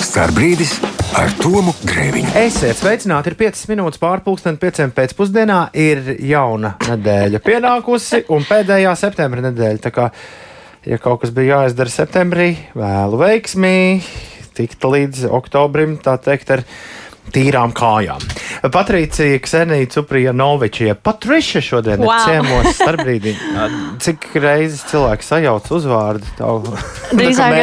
Starbrīdis ar Tomu Grēviņu. Esiet sveicināti, ir 5 minūtes pār 5:00 pēcpusdienā, ir jauna nedēļa pienākusi un pēdējā septembra nedēļa. Tā kā, ja kaut kas bija jāizdara septembrī, vēlu veiksmī, tikt līdz oktobrim, tā teikt, ar tīrām kājām. Patricija Ksenija Cuprjanoviča, Patriša šodien ir ciemos Starbrīdī. Cik reizes cilvēki sajauc uzvārdu tavu? Drīzāk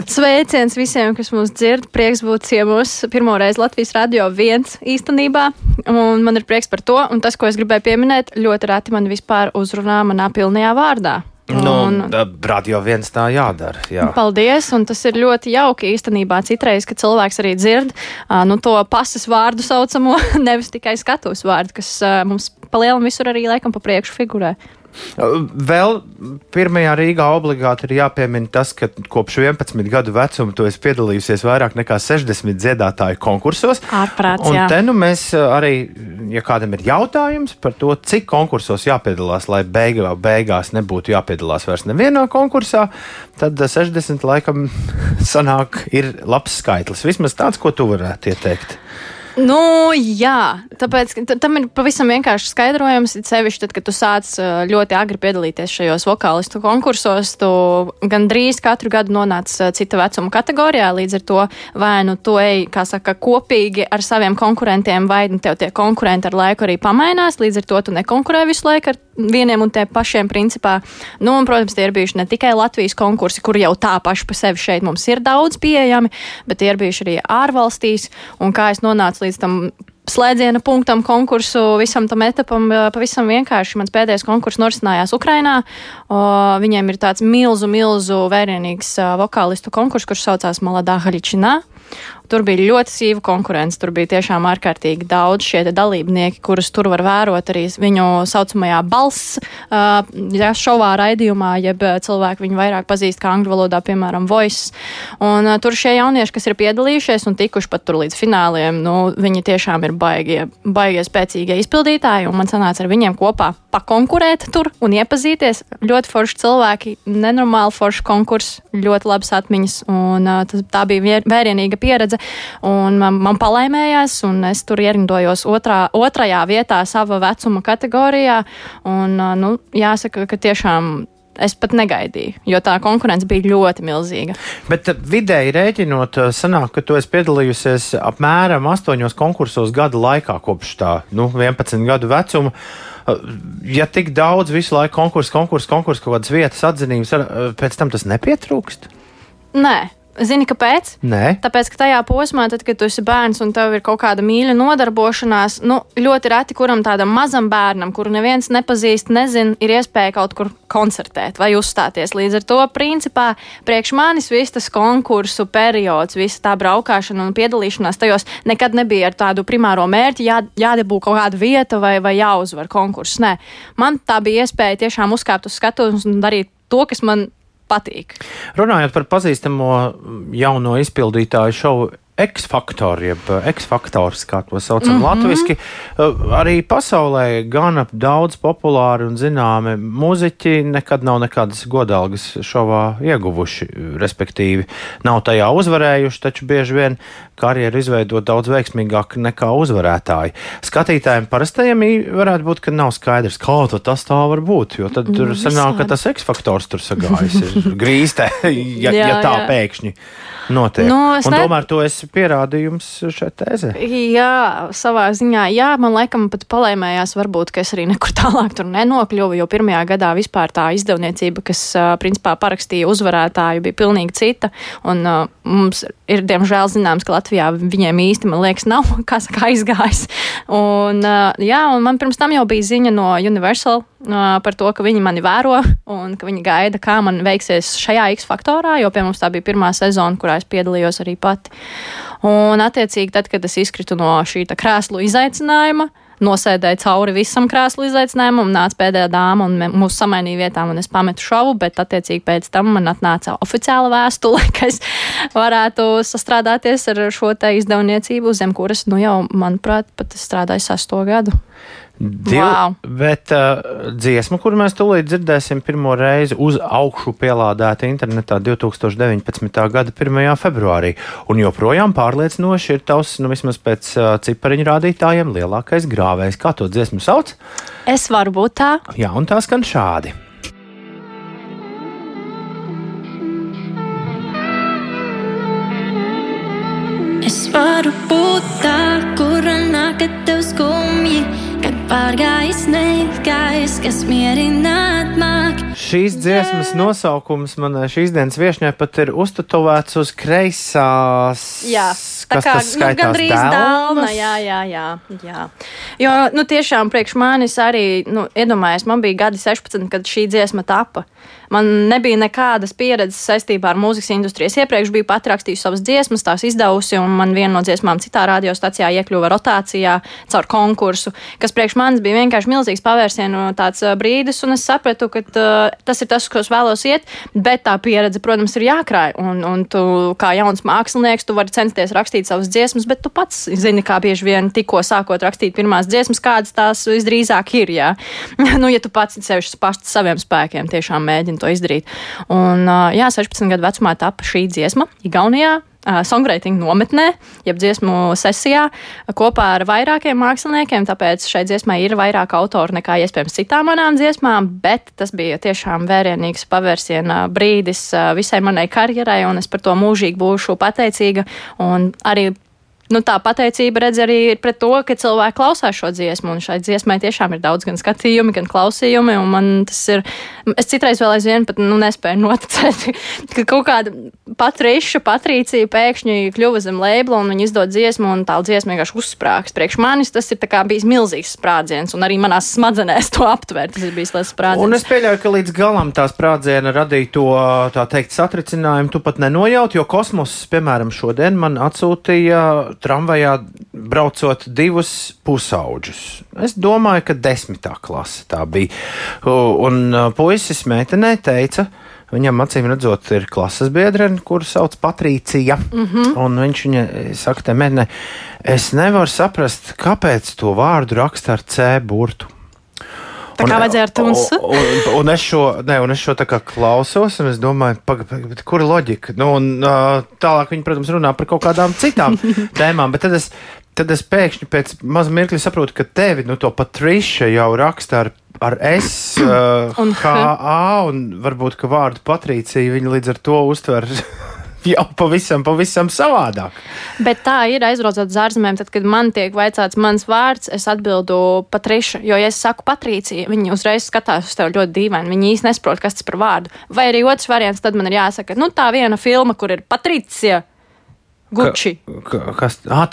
sveiciens visiem, kas mūs dzird. Prieks būt ciemos pirmoreiz Latvijas Radio 1 īstenībā. Un man ir prieks par to. Un tas, ko es gribēju pieminēt, ļoti reti man vispār uzrunā manā pilnajā vārdā. Radio 1 tā jādara. Jā. Paldies, un tas ir ļoti jauki īstenībā citreiz, ka cilvēks arī dzird to pasas vārdu saucamo, nevis tikai skatuves vārdu, kas mums palielam visur arī laikam pa priekšu figurē. Vēl pirmajā Rīgā obligāti ir jāpiemina tas, ka kopš 11 gadu vecuma tu esi piedalījusies vairāk nekā 60 dziedātāju konkursos. Ārprāts, un jā. Te nu mēs arī, ja kādam ir jautājums par to, cik konkursos jāpiedalās, lai beigās nebūtu jāpiedalās vairs nevienā konkursā, tad 60 laikam sanāk ir labs skaitlis. Vismaz tāds, ko tu varētu ieteikt. Jā, tāpēc tam ir pavisam vienkārši skaidrojums, sevišķi tad, kad tu sāc ļoti agri piedalīties šajos vokālistu konkursos, tu gandrīz katru gadu nonāc cita vecuma kategorijā, līdz ar to vai nu tu ej, kā saka, kopīgi ar saviem konkurentiem, vai tev tie konkurenti ar laiku arī pamainās, līdz ar to tu nekonkurē visu laiku ar vieniem un tie pašiem principā. Un, protams, tie ir bijuši ne tikai Latvijas konkursi, kur jau tā paši pa sevi šeit mums ir daudz pieejami, bet tie ir bijuši arī ārvalstīs, un kā es nonācu līdz tam slēdziena punktam konkursu, visam tam etapam, pavisam vienkārši. Mans pēdējais konkurss norisinājās Ukrainā. Viņiem ir tāds milzu vērienīgs vokālistu konkurss, kurš saucās Maladā Haličinā. Tur bija ļoti sīva konkurence, tur bija tiešām ārkārtīgi daudz šie dalībnieki, kurus tur var vērot arī viņu saucamajā balss šovā raidījumā, jeb cilvēki viņu vairāk pazīst kā angļu valodā, piemēram, Voice. Un tur šie jaunieši, kas ir piedalījušies un tikuši pat tur līdz fināliem, viņi tiešām ir baigie spēcīgie izpildītāji, un man sanāca ar viņiem kopā pakonkurēt tur un iepazīties. Ļoti forši cilvēki, nenormāli forši konkurss, ļoti labas atmiņas, un tā bija vērienīga pieredze, un man palaimējās, un es tur ierindojos otrajā vietā sava vecuma kategorijā, un, jāsaka, ka tiešām es pat negaidīju, jo tā konkurence bija ļoti milzīga. Bet vidēji rēķinot, sanāk, ka tu esi piedalījusies apmēram 8 konkursos gada laikā kopš tā, 11 gadu vecuma. Ja tik daudz visu laiku konkursu, kaut kādas vietas atzinības, pēc tam tas nepietrūkst? Nē. Zini, kāpēc? Nē. Tāpēc, ka tajā posmā, tad, kad tu esi bērns un tev ir kaut kāda mīļa nodarbošanās, ļoti reti kuram tādam mazam bērnam, kuru neviens nepazīst, nezin, ir iespēja kaut kur koncertēt vai uzstāties. Līdz ar to, principā, priekš manis viss tas konkursu periods, visa tā braukšana un piedalīšanās tajos nekad nebija ar tādu primāro mērķi, jādabū kaut kāda vieta vai jāuzvar konkurss. Nē, man tā bija iespēja tiešām uzkāpt uz skatuves un darīt to, kas man patīk. Runājot par pazīstamo jauno izpildītāju šovu X-Factor, jeb X-Factors, kā to saucam latviski, arī pasaulē gana daudz populāri un zināmi muziķi nekad nav nekādas godalgas šovā ieguvuši, respektīvi nav tajā uzvarējuši, taču bieži vien karjeru izveidot daudz veiksmīgāk nekā uzvarētāji. Skatītājiem parastajiem varētu būt, ka nav skaidrs, kā tas tā var būt, jo tad tur sanāk, ka tas X-Factors tur sagājis ir grīstē, ja tā pēkšņi notiek. Un tomēr to esi pierādījums šai tēzē. Jā, savā ziņā, man laikam pat palaimējās varbūt, ka es arī nekur tālāk tur nenokļuvu, jo pirmajā gadā vispār tā izdevniecība, kas principā parakstīja uzvarētāju, bija pilnīgi cita, un mums ir diemžēl zināms, ka Latvijā viņiem īsti, man liekas, nav, kā saka, aizgājis. Un man pirms tam jau bija ziņa no Universal par to, ka viņi mani vēro un ka viņi gaida, kā man veiksies šajā X-Faktorā, jo pie mums tā bija pirmā sezona, kurā es piedalījos arī pati. Un attiecīgi tad, kad es izkritu no šī krēslu izaicinājuma, nosēdēju cauri visam krēslu izaicinājumam, nāca pēdējā dāma un mūs samainīja vietām un es pametu šovu, bet attiecīgi pēc tam man atnāca oficiāla vēstule, ka es varētu sastrādāties ar šo te izdevniecību, zem kuras, jau, manuprāt, pat es strādāju 6. gadu. Bet dziesma, kuru mēs tūlīt dzirdēsim pirmo reizi uz augšu pielādēta internetā 2019. gada 1. februārī. Un joprojām pārliecinoši ir tavs, vismaz pēc cipariņu rādītājiem, lielākais grāvējs. Kā to dziesmu sauc? Es varu būt tā. Jā, un tā skan šādi. Es varu būt tā, kura nāk, kad tev skumji, kad pārgājis neizgājis, kas mierināt māk. Šīs dziesmas nosaukums manai šīs dienas viešņai pat ir uztatovēts uz kreisās. Jā, tā kā gandrīz dēlna. Jā. Jo, tiešām priekš manis arī, iedomājies, man bija gadi 16, kad šī dziesma tapa. Man nebija nekādas pieredzes saistībā ar mūzikas industrijas. Iepriekš biju pat rakstījusi savas dziesmas, tās izdevusi, un man viena no dziesmām citā radiostacijā iekļuva rotācijā caur konkursu, kas priekš manis bija vienkārši milzīgs pavērsienu tāds brīdis, un es sapratu, ka tas ir tas, ko es vēlos iet, bet tā pieredze, protams, ir jākrāj, un tu kā jauns mākslinieks, tu vari censties rakstīt savas dziesmas, bet tu pats zini, kā bieži vien tikko sākot rakstīt pirmās dziesmas, kādas tās visdrīzāk ir, jā. Ja tu pats sevišķi pašs saviem spēkiem tiešām mēģini to izdarīt. Un, 16 gadu vecumā tapa šī dziesma Igaunijā, songwriting nometnē, jeb dziesmu sesijā, kopā ar vairākiem māksliniekiem, tāpēc šai dziesmai ir vairāk autoru nekā iespējams citām manām dziesmām, bet tas bija tiešām vērienīgs pavērsiena brīdis visai manai karjerai, un es par to mūžīgi būšu pateicīga, un arī tā pateicība redz arī ir pret to, ka cilvēki klausās šo dziesmu, un šai dziesmai tiešām ir daudz gan skatījumi, gan klausījumi, un man tas ir, es citreiz vēl aizvien pat nespēju noticēt, ka kaut kāda Patrīcija pēkšņi kļuva zem labela, un viņa izdod dziesmu, un tā dziesma vienkārši uzsprāgs. Priekš manis tas ir tā kā bijis milzīgs sprādziens, un arī manās smadzenēs to aptvērt, tas ir bijis liels sprādziens. Un es pieļauju, ka līdz galam tā sprādziena radīja to, tā teikt, satricinājumu, tu pat nenojaut, jo Kosmos, piemēram, šodien man atsūtīja tramvajā braucot 2 pusauģus. Es domāju, ka 10. klase tā bija. Un puisis meitenei teica, viņam acīm redzot ir klases biedrene, kuru sauc Patrīcija. Un viņš viņai saka, meitenei, es nevaru saprast, kāpēc to vārdu raksta ar C burtu. Tā kā vajadzēja ar tunsu. Un es šo tā kā klausos, un es domāju, kura loģika? Tālāk viņi, protams, runā par kaut kādām citām tēmām, bet tad es pēkšņi pēc maza mirkļa saprotu, ka tevi, to Patricia jau raksta ar S, H-A, un varbūt, ka vārdu Patrīcija viņi līdz ar to uztver jau pavisam savādāk. Bet tā ir aizbraucot uz ārzemēm, tad, kad man tiek vaicāts mans vārds, es atbildu Patriša, jo, ja es saku Patrīcija, viņi uzreiz skatās uz tevi ļoti dīvaini, viņi īsti nesaprot, kas tas par vārdu. Vai arī otrs variants, tad man ir jāsaka, tā viena filma, kur ir Patricija Gucci. Kas? Un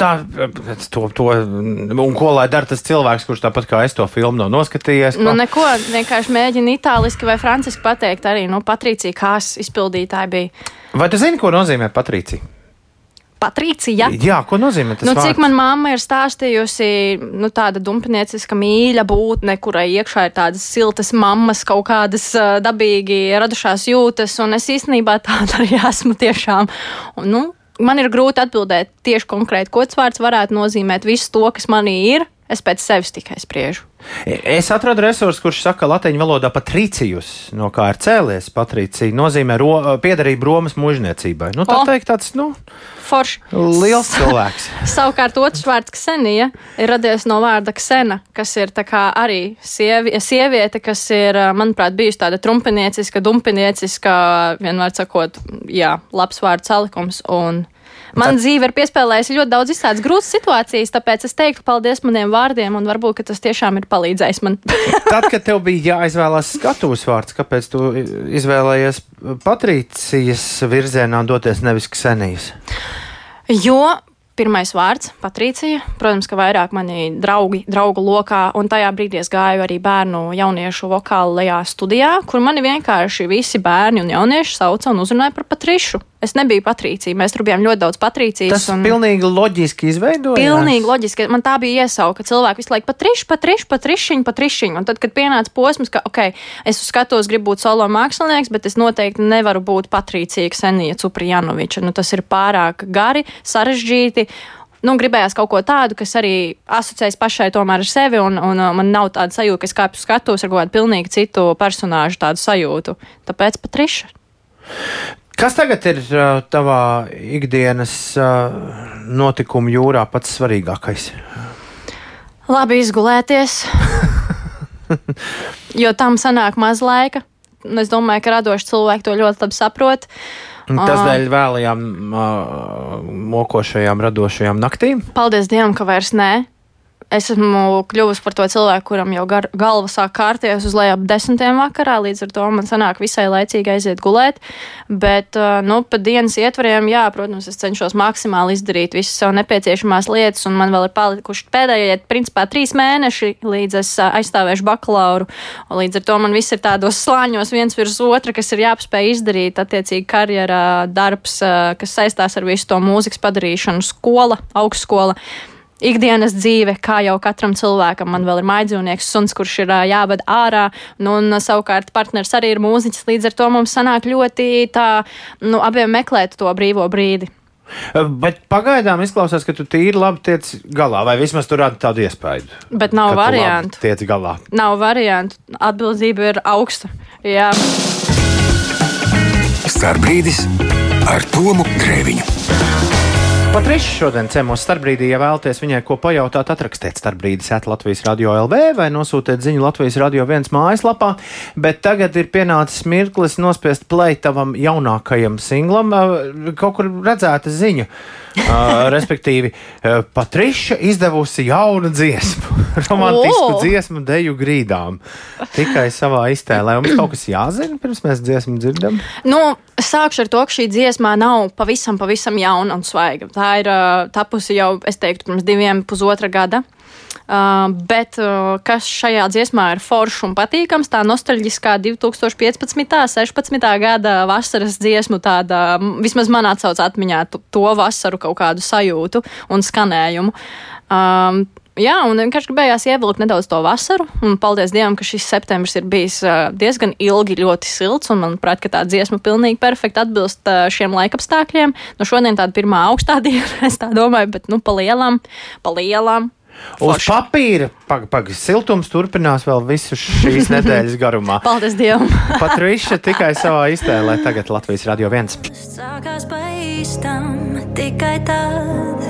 ko lai dara tas cilvēks, kurš tāpat kā es to filmu nav noskatījies? Neko, vienkārši mēģina itāliski vai franciski pateikt arī, Patricija Kās izpildītāji bija. Vai tu zini, ko nozīmē Patricija? Patricija? Jā, ko nozīmē tas vārds? Cik man mamma ir stāstījusi, tāda dumpinieciska mīļa būtne, kurai iekšā ir tādas siltas mammas, kaut kādas dabīgi radušās jūtas, un es īstenībā tāda arī esmu tiešām. Un, man ir grūti atbildēt tieši konkrēti, ko tas vārds varētu nozīmēt. Visu to, kas manī ir, es pēc sevis tikai spriežu. Es atradu resursu, kurš saka latīņu valodā Patricijus, no kā ir cēlies Patricija, nozīmē piederību Romas mužniecībai. Tā teikt tāds, forši. Liels cilvēks. Savukārt otrs vārds Ksenija ir radies no vārda Ksena, kas ir tā kā arī sieviete, kas ir, manuprāt, bijusi tāda trumpinieciska, dumpinieciska, vienmēr sakot, labs vārds salikums, un man dzīve ir piespēlējusi ļoti daudz izstādes grūtas situācijas, tāpēc es teiktu paldies maniem vārdiem, un varbūt, ka tas tiešām ir palīdzējis man. Tad, kad tev bija jāizvēlās skatuves vārds, kāpēc tu izvēlējies Patrīcijas virzienā doties, nevis Ksenijas? Jo pirmais vārds - Patricija, protams, ka vairāk mani draugu lokā, un tajā brīdī es gāju arī bērnu jauniešu vokālajā studijā, kur mani vienkārši visi bērni un jaunieši sauca un uzrunāja par Patrišu. Es nebiju Patricija, mēs tur bijām ļoti daudz Patricijas. Tas pilnīgi loģiski izveidojās? Pilnīgi loģiski, man tā bija iesauka, cilvēki visu laiku Patrišiņ, un tad, kad pienāca posms, ka, es uz skatos gribu būt solo mākslinieks, bet es noteikti nevaru būt Patricija Ksenija Cuprjanoviča, tas ir pārāk gari, sarežģīti, gribējās kaut ko tādu, kas arī asociējas pašai tomēr ar sevi, un man nav tāda sajūta, ka es kāpju skatos ar kaut kādu pilnīgi citu personāžu tādu sajūtu. Tāpēc Patriša. Kas tagad ir tavā ikdienas notikumu jūrā pats svarīgākais? Labi izgulēties, jo tam sanāk maz laika. Es domāju, ka radoši cilvēki to ļoti labi saprot. Tas dēļ vēlajām mokošajām, radošajām naktīm? Paldies Dievam, ka vairs nē. Es esmu kļuvusi par to cilvēku, kuram jau galva sāk kārties uz leju ap 10. vakarā, līdz ar to man sanāk visai laicīgi aiziet gulēt, bet, pa dienas ietvariem, jā, protams, es cenšos maksimāli izdarīt visas sev nepieciešamās lietas, un man vēl ir palikuši pēdējie, principā, 3 mēneši, līdz es aizstāvēšu bakalauru, un līdz ar to man viss ir tādos slāņos viens virs otra, kas ir jāpaspēj izdarīt, attiecīgi karjerā, darbs, kas saistās ar visu to mūzikas padarīšanu, skola, augstskola. Ikdienas dzīve, kā jau katram cilvēkam, man vēl ir mājdzīvnieks, suns, kurš ir jāved ārā, un savukārt partners arī ir mūziķis, līdz ar to mums sanāk ļoti abiem meklēt to brīvo brīdi. Bet pagaidām izklausās, ka tu tīri labi tiec galā, vai vismaz tu rādi tādu iespēju. Bet nav variantu. Tiec galā. Nav variantu. Atbildība ir augsta. Jā. Starpbrīdis ar Tomu Grēviņu. Patriša šodien ciemos Starpbrīdī, ja vēlaties viņai ko pajautāt, atrakstiet Starpbrīdis @Latvijas Radio LV vai nosūtiet ziņu Latvijas Radio 1 mājaslapā, bet tagad ir pienācis mirklis nospiest play tavam jaunākajam singlam, kaut kur redzēta ziņa, respektīvi Patriša izdevusi jaunu dziesmu, romantisku dziesmu Deju grīdām, tikai savā iztēlē. Mums kaut kas jāzina, pirms mēs dziesmu dzirdam? Sākšu ar to, ka šī dziesmā nav pavisam jauna un svaiga. Tā ir tapusi jau, es teiktu, pirms 2,5 gada. Bet kas šajā dziesmā ir foršs un patīkams, tā nostalģiskā 2015. 16. gada vasaras dziesmu, tāda, vismaz man atsauc atmiņā to vasaru kaut kādu sajūtu un skanējumu. Jā, un vienkārši gribējās ievilkt nedaudz to vasaru, un paldies Dievam, ka šis septembris ir bijis diezgan ilgi ļoti silts, un manuprāt, ka tā dziesma pilnīgi perfekti atbilst šiem laikapstākļiem. Šodien tāda pirmā augstā diena, es tā domāju, bet pa lielām. Uz papīra siltums turpinās vēl visu šīs nedēļas garumā. Paldies Dievam! Patriša tikai savā iztēlē, tagad Latvijas Radio 1. Sākās pa īstam tikai tad,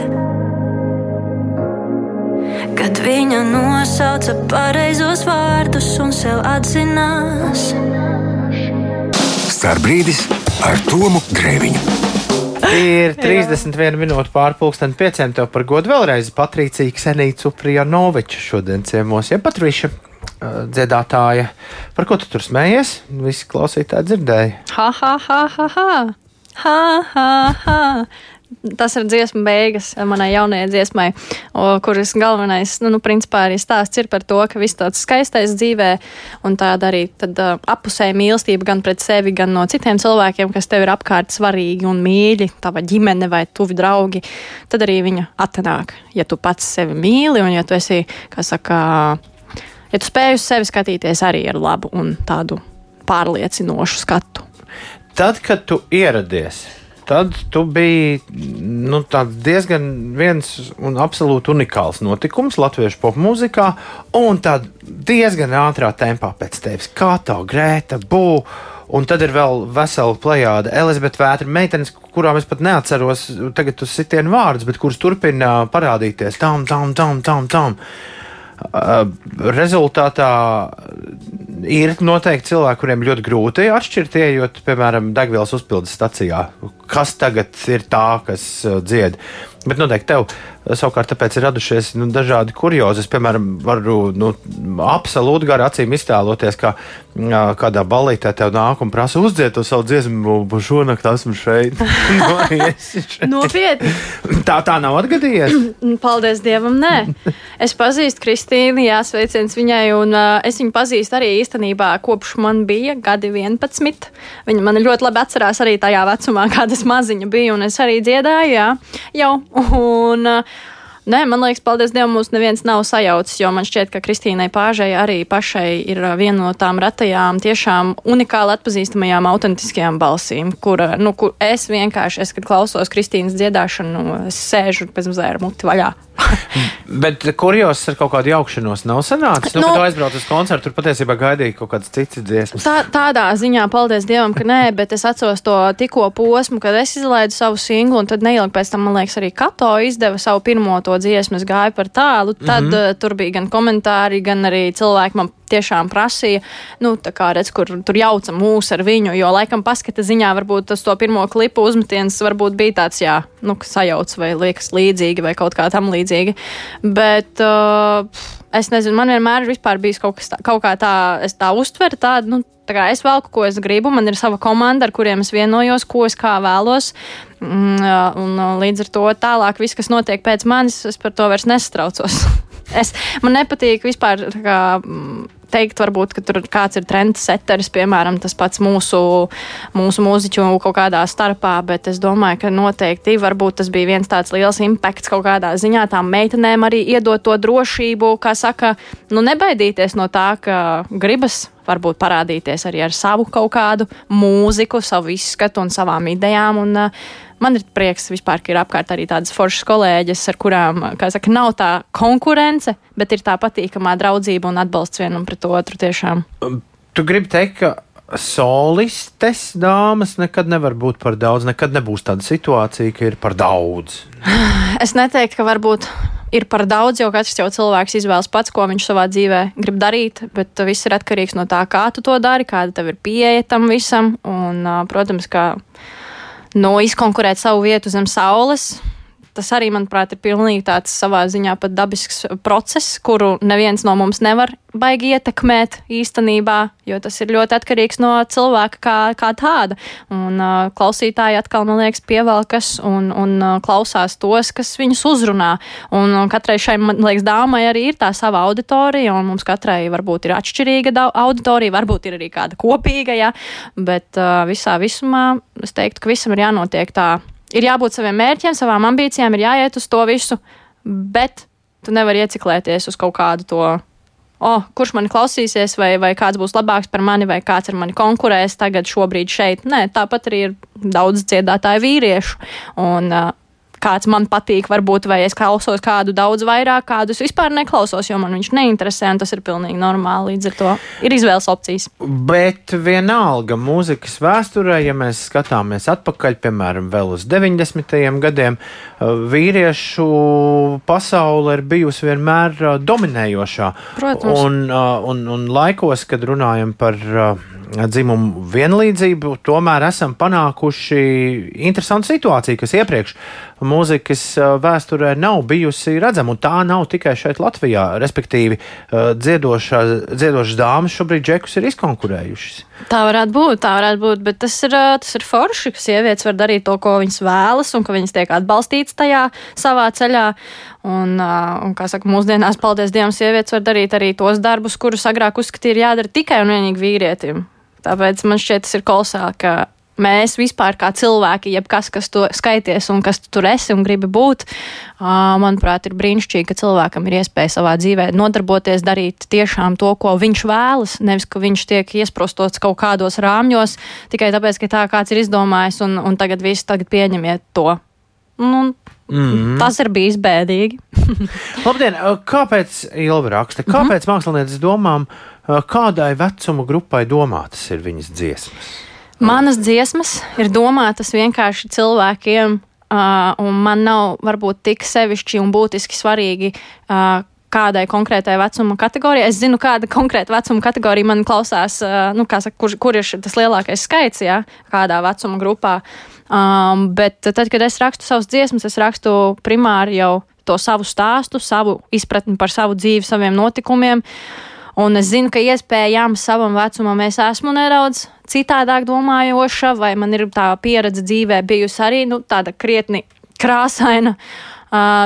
kad viņa nosauca pareizos vārdus un sev atzinās. Starpbrīdis ar Tomu Grēviņu. Ir 31 minūte pār 4:30. Tev par godu vēlreiz Patricija Ksenija Cuprjanoviča šodien ciemos. Ja Patriša dziedātāja, par ko tu tur smējies? Visi klausītāji dzirdēja. Ha. Tas ir dziesma beigas manai jaunajai dziesmai, kuras galvenais, principā arī stāsts ir par to, ka viss tāds skaistais dzīvē un tāda arī tad appusēja mīlestība gan pret sevi, gan no citiem cilvēkiem, kas tev ir apkārt svarīgi un mīļi, tava ģimene vai tuvi draugi, tad arī viņa atnāk, ja tu pats sevi mīli un ja tu esi, ja tu spēj uz sevi skatīties arī ar labu un tādu pārliecinošu skatu. Tad, kad tu ieradies, tad tu biji diezgan viens un absolūti unikāls notikums latviešu popmūzikā, un tad diezgan ātrā tempā pēc tevis. Kā tā Grēta, Bū, un tad ir vēl vesela plejāde Elizabete Vētra, meitenes, kurām es pat neatceros tagad uz sitienu vārdus, bet kuras turpina parādīties tam. Rezultātā ir noteikti cilvēki, kuriem ļoti grūti atšķirt, ejot, piemēram, degvielas uzpildes stacijā, kas tagad ir tā, kas dzied. Bet noteikti tev savukārt tāpēc ir radušies dažādi kuriozi. Es, piemēram, varu absolūti gar acīm iztēloties, ka kādā ballītē tev nāk un prasa uzdzied to savu dziesmu, šonakt esmu šeit. Nopietni. Tā nav atgadījies? Paldies Dievam, nē. Es pazīstu Kristīnu, jāsveiciens viņai, un es viņu pazīstu arī īstenībā kopš man bija gadi 11. Viņa man ļoti labi atcerās arī tajā vecumā, kāda es maziņa biju, un es arī dziedāju, jā, jau. Un Nē, man liekas, paldies Dievam, mums neviens nav sajaucis, jo man šķiet, ka Kristīnai Pāžai arī pašai ir viena no tām retajām, tiešām unikāli atpazīstamajām, autentiskajām balsīm, kur es vienkārši, kad klausos Kristīnas dziedāšanu, es sēžu pēc mazliet ar muti vaļā. Bet kurjos ar kaut kādu jaukšanos nav sanācis? Kad tu aizbrauc uz koncertu, tur patiesībā gaidīja kaut kādas citas dziesmas. Tādā ziņā, paldies Dievam, ka nē, bet es atceros to tikko posmu, kad es izlaidu savu singlu, un tad neilgi pēc tam, man liekas, arī Kato izdeva savu pirmo to dziesmu, es gāju par tālu, tad tur bija gan komentāri, gan arī cilvēki man tiešām prasīja, tā kā redz, kur tur jauca mūs ar viņu, jo laikam paskata ziņā varbūt tas to pirmo klipu uzmetiens varbūt bija tāds, sajauc vai liekas līdzīgi vai kaut kā tam līdzīgi. Bet es nezinu, man vienmēr vispār bijis kaut kā tā, es tā uztveru tādu, tā kā es velku, ko es gribu, man ir sava komanda, ar kuriem es vienojos, ko es kā vēlos, un līdz ar to tālāk viss, kas notiek pēc manis, es par to vairs nesatraucos. Man nepatīk vispār teikt, varbūt, ka tur kāds ir trendsetters, piemēram, tas pats mūsu mūziķu kaut kādā starpā, bet es domāju, ka noteikti varbūt tas bija viens tāds liels impakts kaut kādā ziņā tām meitenēm arī iedot to drošību, kā saka, nebaidīties no tā, ka gribas varbūt parādīties arī ar savu kaut kādu mūziku, savu izskatu un savām idejām, un man ir prieks vispār, ka ir apkārt arī tādas foršas kolēģis, ar kurām, kā saka, nav tā konkurence, bet ir tā patīkamā draudzība un atbalsts vienam pret otru tiešām. Tu gribi teikt, ka solistes dāmas nekad nevar būt par daudz, nekad nebūs tāda situācija, ka ir par daudz? Es neteiktu, ka varbūt ir par daudz, jo katrs jau cilvēks izvēlas pats, ko viņš savā dzīvē grib darīt, bet viss ir atkarīgs no tā, kā tu to dari, kāda tev ir pieeja tam visam, un, protams, ka izkonkurēt savu vietu zem saules, tas arī, manuprāt, ir pilnīgi tāds savā ziņā pat dabisks process, kuru neviens no mums nevar baigi ietekmēt īstenībā, jo tas ir ļoti atkarīgs no cilvēka kā tāda. Un klausītāji atkal, man liekas, pievelkas un klausās tos, kas viņus uzrunā. Un katrai šai, man liekas, dāmai arī ir tā sava auditorija, un mums katrai varbūt ir atšķirīga auditorija, varbūt ir arī kāda kopīga, bet visā visumā es teiktu, ka visam ir jānotiek tā. Ir jābūt saviem mērķiem, savām ambīcijām, ir jāiet uz to visu, bet tu nevari ieciklēties uz kaut kādu to, kurš mani klausīsies, vai kāds būs labāks par mani, vai kāds ar mani konkurēs tagad šobrīd šeit. Nē, tāpat arī ir daudz dziedātāju vīriešu, un kāds man patīk, varbūt, vai es klausos kādu daudz vairāk, kādus vispār neklausos, jo man viņš neinteresē, un tas ir pilnīgi normāli, līdz ar to ir izvēles opcijas. Bet vienalga mūzikas vēsturē, ja mēs skatāmies atpakaļ, piemēram, vēl uz 90. gadiem, vīriešu pasaule ir bijusi vienmēr dominējošā. Protams. Un laikos, kad runājam par dzimumu vienlīdzību, tomēr esam panākuši interesantu situāciju, kas iepriekš mūzikas vēsturē nav bijusi redzama, un tā nav tikai šeit Latvijā, respektīvi dziedošas dāmas šobrīd džekus ir izkonkurējušas. Tā varētu būt, bet tas ir forši, ka sievietes var darīt to, ko viņas vēlas, un ka viņas tiek atbalstītas tajā savā ceļā. Un kā saka, mūsdienās, paldies Dievam, sievietes var darīt arī tos darbus, kurus agrāk uzskatīja jādara tikai un vienīgi vīrietim. Tāpēc man šķiet, tas ir kolosāli, ka mēs vispār kā cilvēki, jebkas, kas tu skaities un kas tu tur esi un gribi būt, manuprāt, ir brīnišķīgi, ka cilvēkam ir iespēja savā dzīvē nodarboties, darīt tiešām to, ko viņš vēlas, nevis, ka viņš tiek iesprostots kaut kādos rāmjos, tikai tāpēc, ka tā kāds ir izdomājis un tagad pieņemiet to. Tas ir bijis bēdīgi. Labdien, kāpēc Ilva raksta? Kāpēc mākslinieces domām, kādai vecuma grupai domātas ir viņas dziesmas? Manas dziesmas ir domātas vienkārši cilvēkiem, un man nav varbūt tik sevišķi un būtiski svarīgi, kādai konkrētai vecuma kategorijai. Es zinu, kāda konkrēta vecuma kategorija man klausās, kur ir tas lielākais skaits, kādā vecuma grupā. Bet tad, kad es rakstu savas dziesmas, es rakstu primāri jau to savu stāstu, savu izpratni par savu dzīvi, saviem notikumiem. Un es zinu, ka iespējams savam vecumam es esmu nedaudz citādāk domājoša, vai man ir tā pieredze dzīvē bijusi arī tāda krietni krāsaina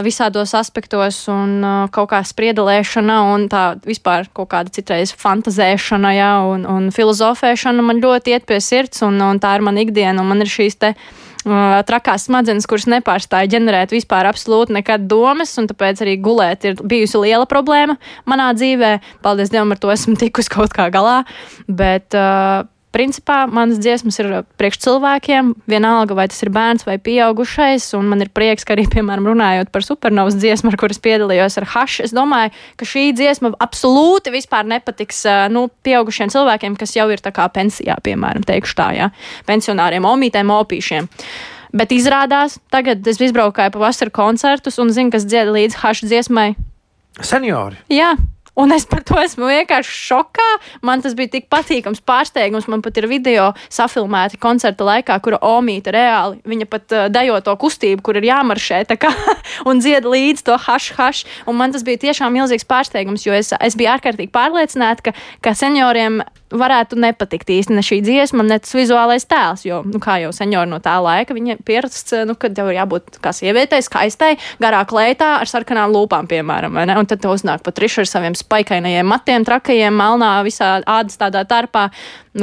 visādos aspektos un kaut kā spriedelēšana un tā vispār kaut kāda citreiz fantazēšana, un filozofēšana man ļoti iet pie sirds un tā ir mana ikdiena un man ir šīs te trakās smadzenes, kuras nepārstāja ģenerēt vispār absolūti nekad domas, un tāpēc arī gulēt ir bijusi liela problēma manā dzīvē. Paldies Dievam, ar to esmu tikus kaut kā galā, bet principā manas dziesmas ir priekš cilvēkiem, vienalga, vai tas ir bērns vai pieaugušais, un man ir prieks, ka arī, piemēram, runājot par Supernovas dziesmu, ar kuras piedalījos ar Hash, es domāju, ka šī dziesma absolūti vispār nepatiks, pieaugušiem cilvēkiem, kas jau ir tā kā pensijā, piemēram, teikšu tā, jā, pensionāriem, omītēm, opīšiem. Bet izrādās, tagad es izbraukāju pa vasaru koncertus un zinu, kas dzied līdz Hash dziesmai. Seniori. Jā. Un es par to esmu vienkārši šokā. Man tas bija tik patīkams pārsteigums. Man pat ir video safilmēti koncerta laikā, kura omīta reāli. Viņa pat dejo to kustību, kur ir jāmaršē tā kā, un dzied līdz to hash. Un man tas bija tiešām milzīgs pārsteigums, jo es biju ārkārtīgi pārliecināta, ka senioriem varētu nepatikt īsti ne šī dziesma, ne tas vizuālais tēls, jo, kā jau seniori no tā laika, viņi pierasts, kad tev ir jābūt kā sievietei, skaistai, garā kleitā ar sarkanām lūpām, piemēram, vai ne? Un tad tev uznāk Patriša ar saviem spaikainajiem matiem, trakajiem, melnā, visā ādas tādā tarpā.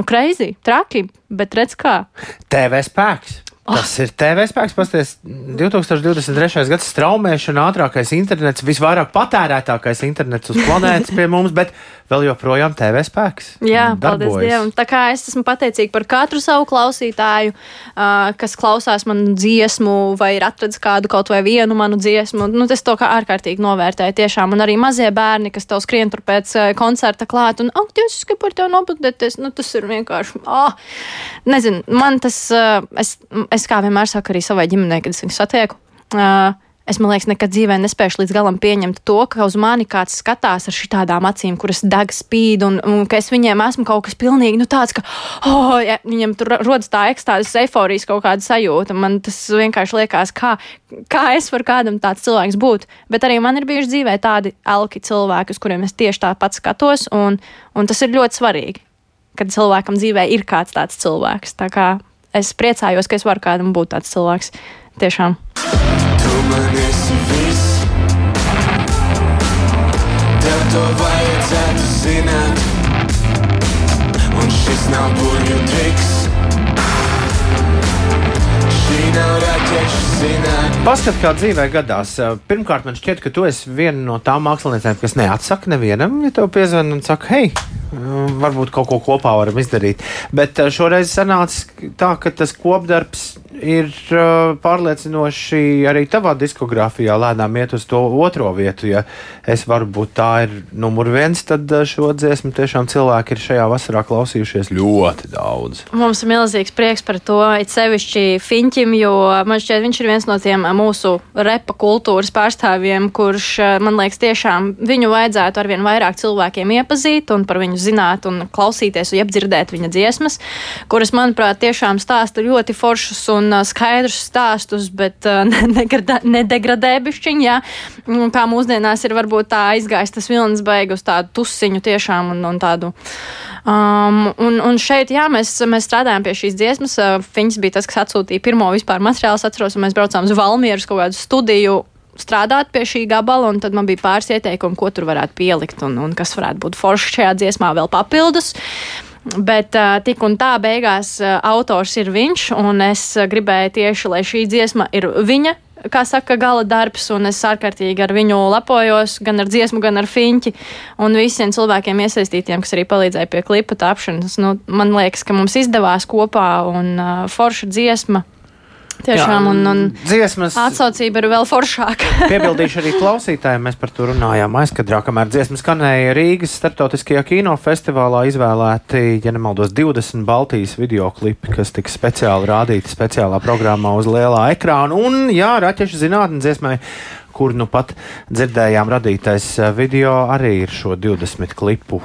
Crazy, traki, bet redz kā. TV spēks. Tas ir TV spēks, pasties, 2023. gads straumēšana, ātrākais internets, visvairāk patērētākais internets uz planētas pie mums, bet vēl joprojām TV spēks. Jā, paldies Dievam. Tā kā es esmu pateicīga par katru savu klausītāju, kas klausās manu dziesmu vai ir atradis kādu kaut vai vienu manu dziesmu. Es to kā ārkārtīgi novērtēju tiešām. Un arī mazie bērni, kas tev skrien tur pēc koncerta klāt un, Dievs, es gribu par tev nobudēties. Tas ir vienkārši, nezinu, man tas, es kā vienmēr saku arī savai ģimenei, kad es viņu satieku, es, man liekas, nekad dzīvē nespēšu līdz galam pieņemt to, ka uz mani kāds skatās ar šitādām acīm, kuras deg spīd, un ka es viņiem esmu kaut kas pilnīgi, tāds, ka, ja, viņiem tur rodas tā ekstāzes, eiforijas kaut kāda sajūta. Man tas vienkārši liekas, kā es varu kādam tāds cilvēks būt. Bet arī man ir bijuši dzīvē tādi elki cilvēki, uz kuriem es tieši tāpat skatos, un tas ir ļoti svarīgi, kad cilvēkam dzīvē ir kāds tāds cilvēks. Tā kā es priecājos, ka es varu kādam būt tāds cilvēks. Tiešām. Tu man esi viss. Tev to vajadzētu zināt. Un šis nav burvju triks. Šī nav raķešu zināt. Paskat, kā dzīvē gadās. Pirmkārt, man šķiet, ka tu esi viena no tām māksliniecēm, kas neatsaka nevienam, ja tev piezvan un saka, hei, varbūt kaut ko kopā varam izdarīt. Bet šoreiz sanāca tā, ka tas kopdarbs ir pārliecinoši arī tavā diskogrāfijā lēnām iet uz to otro vietu. Ja es varu būt tā ir numur 1, tad šo dziesmu tiešām cilvēki ir šajā vasarā klausījušies ļoti daudz. Mums ir milzīgs prieks par to, it sevišķi Fiņķim, jo man šķiet, viņš ir viens no tiem mūsu repa kultūras pārstāvjiem, kurš, man liekas, tiešām viņu vajadzētu arvien vairāk cilvēkiem iepazīt un par viņu zināt un klausīties un iedzirdēt viņa dziesmas, kuras, manuprāt, tiešām stāsta ļoti foršus un skaidrus stāstus, bet nedegradē bišķiņ, jā. Kā mūsdienās ir varbūt tā aizgājis tas vilnis beigu uz tādu tusiņu tiešām un tādu. Un šeit, jā, mēs strādājām pie šīs dziesmas. Fiņš bija tas, kas atsūtīja pirmo vispār materiālu, atceros, un mēs braucām uz Valmieru uz kaut kādu studiju strādāt pie šī gabala, un tad man bija pāris ieteikumi, ko tur varētu pielikt un kas varētu būt forši šajā dziesmā vēl papildus. Bet tik un tā beigās autors ir viņš, un es gribēju tieši, lai šī dziesma ir viņa, kā saka, gala darbs, un es ārkārtīgi ar viņu lepojos, gan ar dziesmu, gan ar Fiņķi, un visiem cilvēkiem iesaistītiem, kas arī palīdzēja pie klipa tapšanas. Man liekas, ka mums izdevās kopā, un forša dziesma. Tiešām, un dziesmas atsaucība ir vēl foršāka. Piebildīšu arī klausītājiem, mēs par to runājām aizkadrā, kamēr dziesmas skanēja Rīgas starptautiskajā kinofestivālā izvēlēti, ja nemaldos, 20 Baltijas videoklipi, kas tika speciāli rādīti speciālā programmā uz lielā ekrāna. Un, jā, Raķešu zinātne dziesmai, kur nu pat dzirdējām radītais video, arī ir šo 20 klipu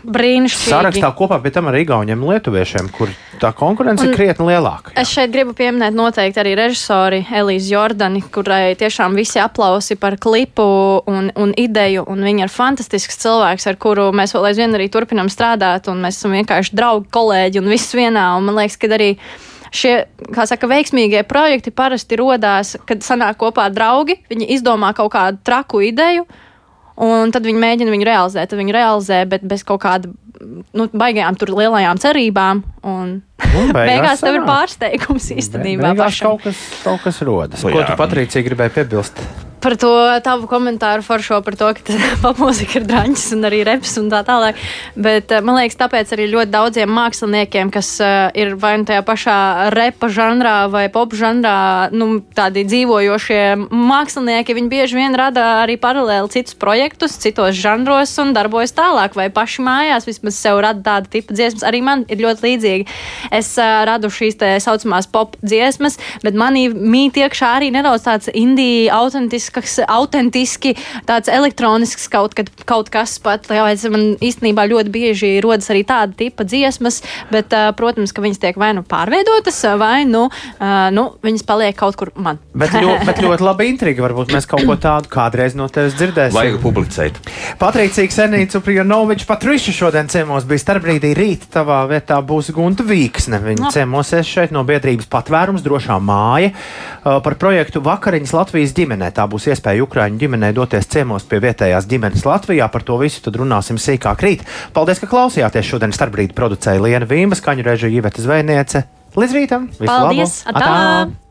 brīnišķīgi sarakstā kopā pie tam ar igauņiem un lietuviešiem, kur tā konkurence ir krietni lielāka. Jā. Es šeit gribu pieminēt noteikti arī režisori Elīzi Jordani, kurai tiešām visi aplausi par klipu un ideju, un viņa ir fantastisks cilvēks, ar kuru mēs vēl aizvien arī turpinām strādāt, un mēs esam vienkārši draugi, kolēģi un viss vienā, un man liekas, ka arī šie, kā saka, veiksmīgie projekti parasti rodās, kad sanāk kopā draugi, viņi izdomā kaut kādu traku ideju, un tad viņi mēģina viņu realizēt, bet bez kaut kāda baigajām tur lielajām cerībām. Un beigās tev ir pārsteigums īstenībā. Beigās kaut kas rodas. Ko tu, Patricija, gribēji piebilst? Par to tavu komentāru foršo par to, ka popmūzika ir draņķis un arī reps un tā tālāk. Bet man liekas, tāpēc arī ļoti daudziem māksliniekiem, kas ir vai nu tajā pašā repa žanrā vai pop žanrā, tādi dzīvojošie mākslinieki, viņi bieži vien rada arī paralēli citus projektus, citos žanros un darbojas tālāk, vai paši mājās vismaz sev rada tāda tipa dziesmas. Arī man ir ļoti līdzīgi. Es radu šīs te saucamās pop dziesmas, bet manī mīt iekšā arī nedaudz tāds indie autentiski, tāds elektronisks kaut kas pat, lai man īstenībā ļoti bieži rodas arī tāda tipa dziesmas, bet, protams, ka viņas tiek vai nu pārveidotas, vai viņas paliek kaut kur man. Bet ļoti labi intriga, varbūt mēs kaut ko tādu kādreiz no tevis dzirdēsim. Vajag publicēt. Patricija Ksenija Cuprjanoviča Patriša šodien ciemos bija Starpbrīdī. Rīt tavā vietā būs Gunta Vīksne. Viņa ciemosies šeit no biedrības Patvērums drošā māja par projektu Vakariņas Latvijas ģimenē. Tā būs iespēja Ukraiņu ģimenei doties ciemos pie vietējās ģimenes Latvijā. Par to visu tad runāsim sīkāk rīt. Paldies, ka klausījāties. Šodien Starpbrīdi producēja Liena Vīma, skaņu režija Iveta Zvejniece. Līdz rītam! Visu Paldies! labu! Atā!